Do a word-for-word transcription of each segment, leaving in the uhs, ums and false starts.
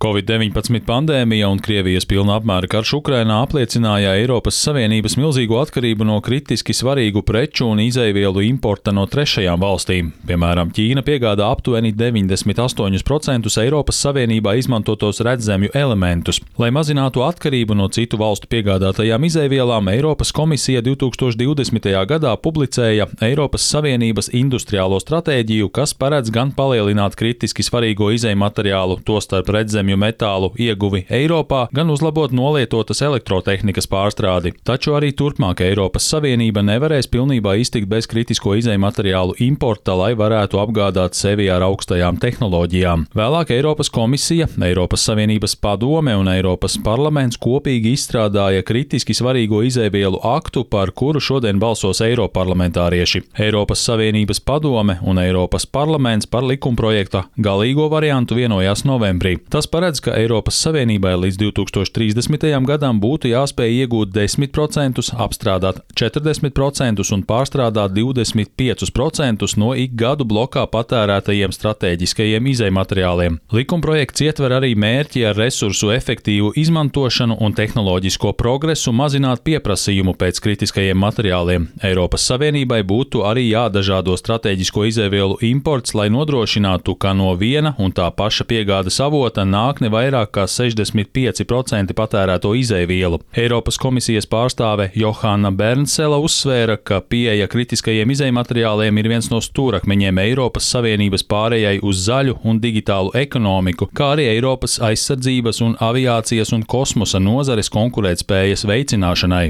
Covid deviņpadsmit pandēmija un Krievijas pilna apmēra karš Ukrainā apliecināja Eiropas Savienības milzīgo atkarību no kritiski svarīgu preču un izejvielu importa no trešajām valstīm. Piemēram, Ķīna piegādā aptuveni deviņdesmit astoņus procentus Eiropas Savienībā izmantotos redzemju elementus. Lai mazinātu atkarību no citu valstu piegādātajām izejvielām, Eiropas komisija divtūkstoš divdesmitajā gadā publicēja Eiropas Savienības industriālo stratēģiju, kas paredz gan palielināt kritiski svarīgo izejmateriālu, tostarp redzemju metālu ieguvi Eiropā, gan uzlabot nolietotas elektrotehnikas pārstrādi. Taču arī turpmāk Eiropas Savienība nevarēs pilnībā iztikt bez kritisko izejmateriālu importa, lai varētu apgādāt sevi ar augstajām tehnoloģijām. Vēlāk Eiropas komisija, Eiropas Savienības padome un Eiropas parlaments kopīgi izstrādāja kritiski svarīgo izejvielu aktu, par kuru šodien balsos eiroparlamentārieši. Eiropas Savienības padome un Eiropas parlaments par likumprojekta galīgo variantu vienojās novembrī. Tas paredz, ka Eiropas Savienībai līdz divtūkstoš trīsdesmitajam gadam būtu jāspēj iegūt desmit procentus, apstrādāt četrdesmit procentus un pārstrādāt divdesmit piecus procentus no ik gadu blokā patērētajiem stratēģiskajiem izejmateriāliem. Likumprojekts ietver arī mērķi ar resursu efektīvu izmantošanu un tehnoloģisko progresu mazināt pieprasījumu pēc kritiskajiem materiāliem. Eiropas Savienībai būtu arī jādažādo stratēģisko izejvielu imports, lai nodrošinātu, ka no viena un tā paša piegādes avota nāk ne vairāk kā sešdesmit pieci procenti patērēto izejvielu. Eiropas komisijas pārstāve Johanna Bernsela uzsvēra, ka pieeja kritiskajiem izejmateriāliem ir viens no stūrakmeņiem Eiropas Savienības pārējai uz zaļu un digitālu ekonomiku, kā arī Eiropas aizsardzības un aviācijas un kosmosa nozares konkurētspējas veicināšanai.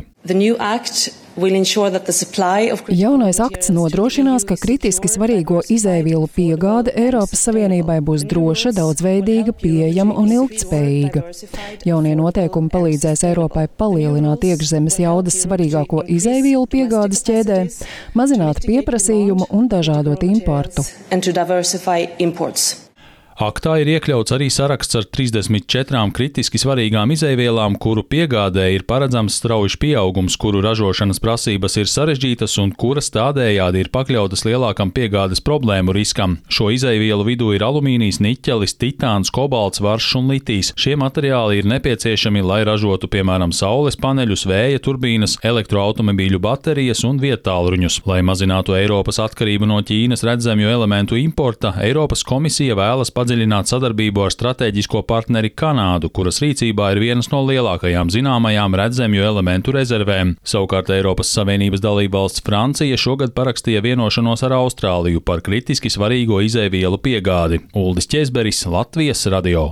Jaunais akts nodrošinās, ka kritiski svarīgo izejvielu piegāde Eiropas Savienībai būs droša, daudzveidīga, pieejama un ilgtspējīga. Jaunie noteikumi palīdzēs Eiropai palielināt iekšzemes jaudas svarīgāko izejvielu piegādes ķēdē, mazināt pieprasījumu un dažādot importu. Aktā ir iekļauts arī saraksts ar trīsdesmit četrām kritiski svarīgām izejvielām, kuru piegādē ir paredzams straujš pieaugums, kuru ražošanas prasības ir sarežģītas un kuras tādējādi ir pakļautas lielākam piegādes problēmu riskam. Šo izejvielu vidū ir alumīnijs, niķelis, titāns, kobalts, varšs un litijs. Šie materiāli ir nepieciešami, lai ražotu, piemēram, saules paneļus, vēja turbīnas, elektroautomobīļu baterijas un viedtālruņus. Lai mazinātu Eiropas atkarību no Ķīnas redzemju elementu importa, Eiropas komisija vēlas padziļināt sadarbību ar stratēģisko partneri Kanādu, kuras rīcībā ir vienas no lielākajām zināmajām redzemju elementu rezervēm. Savukārt Eiropas Savienības dalībvalsts Francija šogad parakstīja vienošanos ar Austrāliju par kritiski svarīgo izejvielu piegādi. Uldis Ķezberis, Latvijas radio.